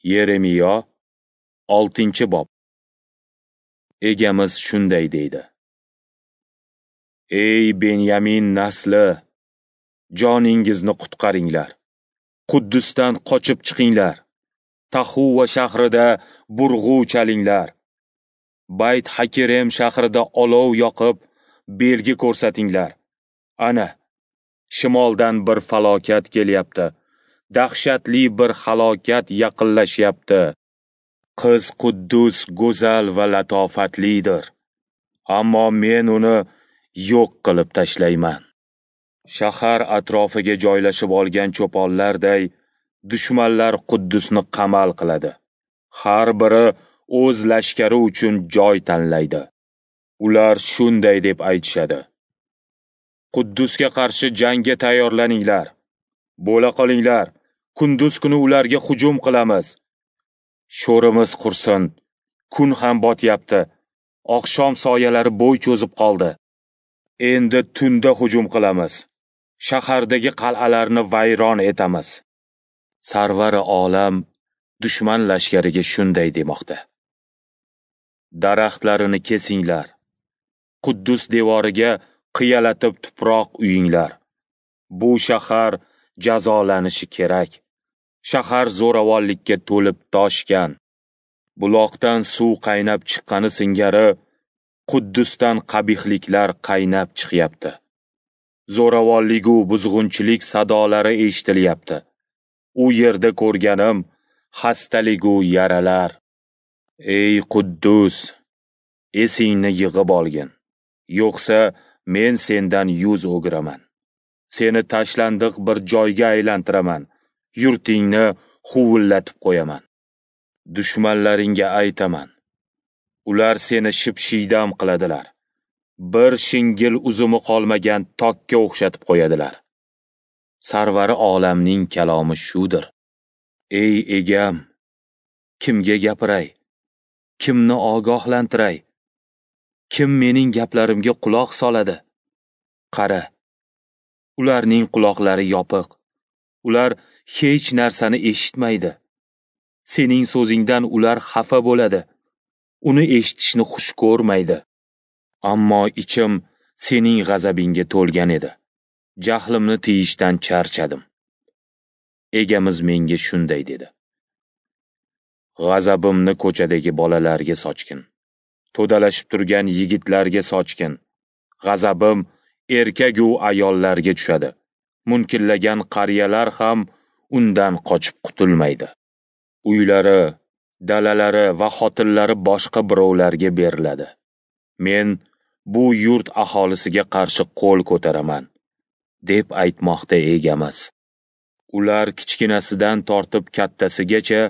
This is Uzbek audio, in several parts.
Yeremiyo 6-bob. Egamiz shunday deydi: Ey Benyamin nasli, joningizni qutqaringlar. Quddusdan qochib chiqinglar. Tahuva shahrida burg'u chalinglar. Bayt Hakirem shahrida olov yoqib, belgi ko'rsatinglar. Ana, shimoldan bir falokat kelyapti. Dahshatli bir halokat yaqinlashyapti. Qiz Quddus go'zal va latofatlidir. Ammo men uni yo'q qilib tashlayman. Shahar atrofiga joylashib olgan cho'ponlarday dushmanlar Quddusni qamal qiladi. Har biri o'z lashkari uchun joy tanlaydi. Ular shunday deb aytishadi: Quddusga qarshi jangga tayyorlaninglar. Bo'la qolinglar, kunduz kuni ularga hujum qilamiz. Sho'rimiz qursin, kun ham botyapti. Oqshom soyalari bo'y cho'zib qoldi. Endi tunda hujum qilamiz. Shahardagi qal'alarni vayron etamiz. Sarvari olam dushman lashkariga shunday demoqda: Daraxtlarini kesinglar. Quddus devoriga qiyalatib tuproq uyinglar. Bu shahar jazolanishi kerak. Shahar zo'ravonlikka to'lib toshgan. Buloqdan suv qaynab chiqqani singari Quddusdan qabihliklar qaynab chiqyapti. Zo'ravonlik u buzg'unchilik sadolari eshitilyapti. U yerda ko'rganim xastalik u yaralar. Ey Quddus, esingni yig'ib olgin. Yo'qsa men sendan yuz o'giraman. Seni tashlandiq bir joyga aylantiraman. Yurtingni huvillatib qo'yaman. Dushmanlaringga aytaman. Ular seni shipshiydam qiladilar. Bir shingil uzumi qolmagan tokka o'xshatib qo'yadilar. Sarvari olamning kalomi shudir. Ey egam, kimga gapiray? Kimni ogohlantiray? Kim mening gaplarimga quloq soladi? Qara, ularning quloqlari yopiq. Ular hech narsani eshitmaydi. Sening so'zingdan ular xafa bo'ladi. Uni eshitishni xush ko'rmaydi. Ammo ichim sening g'azabingga to'lgan edi. Jahlimni tiyishdan charchadim. Egamiz menga shunday dedi: G'azabimni ko'chadagi bolalarga sochgin. To'dalashib turgan yigitlarga sochgin. G'azabim erkak u ayollarga tushadi. Munkillagan qariyalar ham undan qochib qutulmaydi. Uylari, dalalari va xotinlari boshqa birovlarga beriladi. Men bu yurt aholisiga qarshi qo'l ko'taraman, deb aytmoqda egamiz. Ular kichkinasidan tortib kattasigacha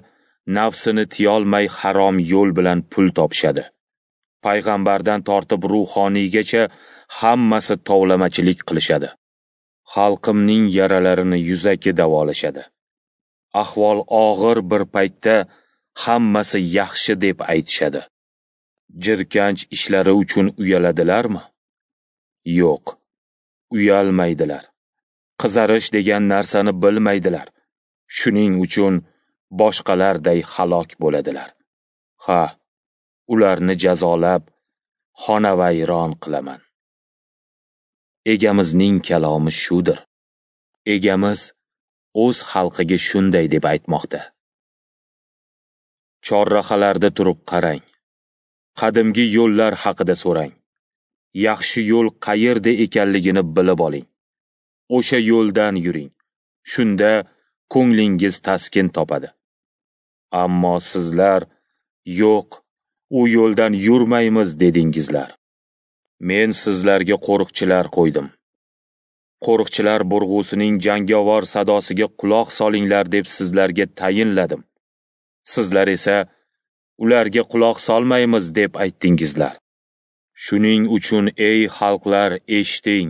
nafsini tiyolmay harom yo'l bilan pul topishadi. Payg'ambardan tortib ruhoniygacha hammasi tovlamachilik qilishadi. Xalqimning yaralarini yuzaki davolashadi. Ahvol og'ir bir paytda hammasi yaxshi deb aytishadi. Jirkanch ishlari uchun uyaladilarmi? Yo'q, uyalmaydilar. Qizarish degan narsani bilmaydilar. Shuning uchun boshqalarday halok bo'ladilar. Ha, ularni jazolab, xonavayron qilaman. Egamizning kalomi shudir. Egamiz o'z xalqiga shunday deb aytmoqda: Chorrahalarda turib qarang. Qadimgi yo'llar haqida so'rang. Yaxshi yo'l qayerda ekanligini bilib oling. O'sha yo'ldan yuring. Shunda ko'nglingiz taskin topadi. Ammo sizlar yo'q, u yo'ldan yurmaymiz dedingizlar. Men sizlarga qo'riqchilar qo'ydim. Qo'riqchilar burg'usining jangovar sadosiga quloq solinglar deb sizlarga tayinladim. Sizlar esa ularga quloq solmaymiz deb aytdingizlar. Shuning uchun ey xalqlar, eshiting.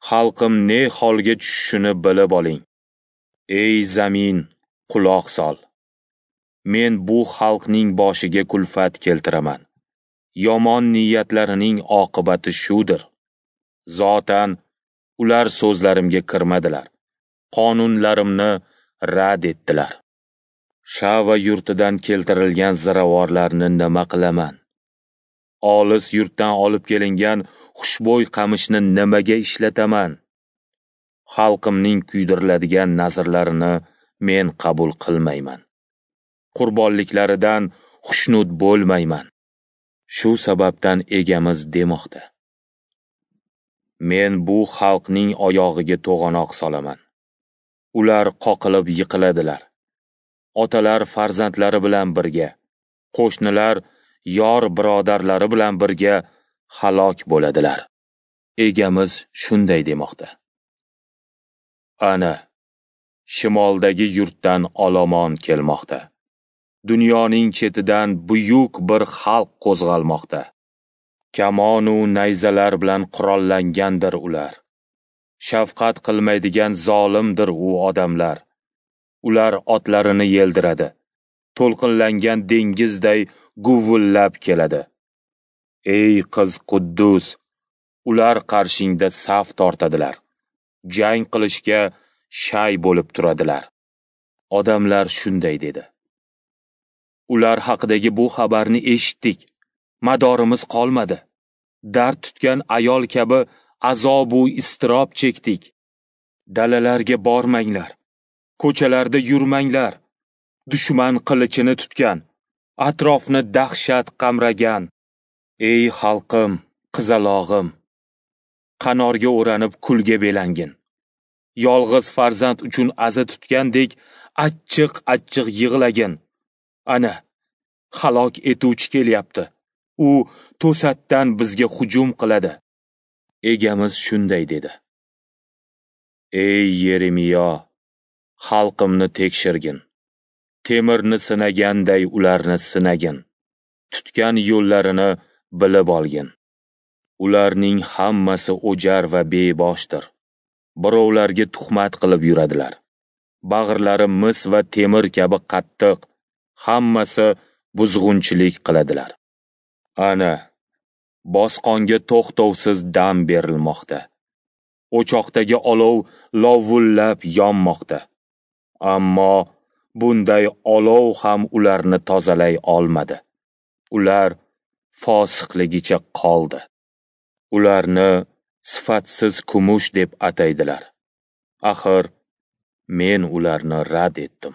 Xalqim ne holga tushishini bilib oling. Ey zamin, quloq sol. Men bu xalqning boshiga kulfat keltiraman. Yomon niyatlarining oqibati shudir. Zotan ular so'zlarimga kirmadilar. Qonunlarimni rad etdilar. Shava yurtidan keltirilgan ziravorlarni nima qilaman? Olis yurtdan olib kelingan xushbo'y qamishni nimaga ishlataman? Xalqimning kuydiriladigan nazrlarini men qabul qilmayman. Qurbonliklaridan xushnud bo'lmayman. Shu sababdan Egamiz demoqda: Men bu xalqning oyog'iga to'g'anoq solaman. Ular qoqilib yiqiladilar. Otalar farzandlari bilan birga, qo'shnilar yor birodarlari bilan birga halok bo'ladilar. Egamiz shunday demoqda: Ana, shimoldagi yurtdan olomon kelmoqda. Dunyoning chetidan buyuk bir xalq qo'zg'almoqda. Kamonu nayzalar bilan qurollangandir ular. Shafqat qilmaydigan zolimdir u odamlar. Ular otlarini yeldiradi. To'lqinlangan dengizday guvullab keladi. Ey qiz Quddus, ular qarshingda saf tortadilar. Jang qilishga shay bo'lib turadilar. Odamlar shunday dedi: Ular haqidagi bu xabarni eshitdik. Madorimiz qolmadi. Dard tutgan ayol kabi azob u iztirob chekdik. Dalalarga bormanglar. Ko'chalarda yurmanglar. Dushman qilichini tutgan, atrofni dahshat qamragan. Ey xalqim, qizalog'im, qanorga o'ranib kulga belangin. Yolg'iz farzand uchun aza tutgandek achchiq-achchiq yig'lagin. Ana, halok etuvchi kelyapti. U to'satdan bizga hujum qiladi. Egamiz shunday dedi: Ey Yeremiyo, xalqimni tekshirgin. Temirni sinaganday ularni sinagin. Tutgan yo'llarini bilib olgin. Ularning hammasi o'jar va beboshdir. Birovlarga tuhmat qilib yuradilar. Bag'rlari mis va temir kabi qattiq, hammasi buzg'unchilik qiladilar. Ana, bosqonga to'xtovsiz dam berilmoqda. O'choqdagi olov lovullab yonmoqda. Ammo bunday olov ham ularni tozalay olmadi. Ular fosiqligicha qoldi. Ularni sifatsiz kumush deb ataydilar. Axir men ularni rad etdim.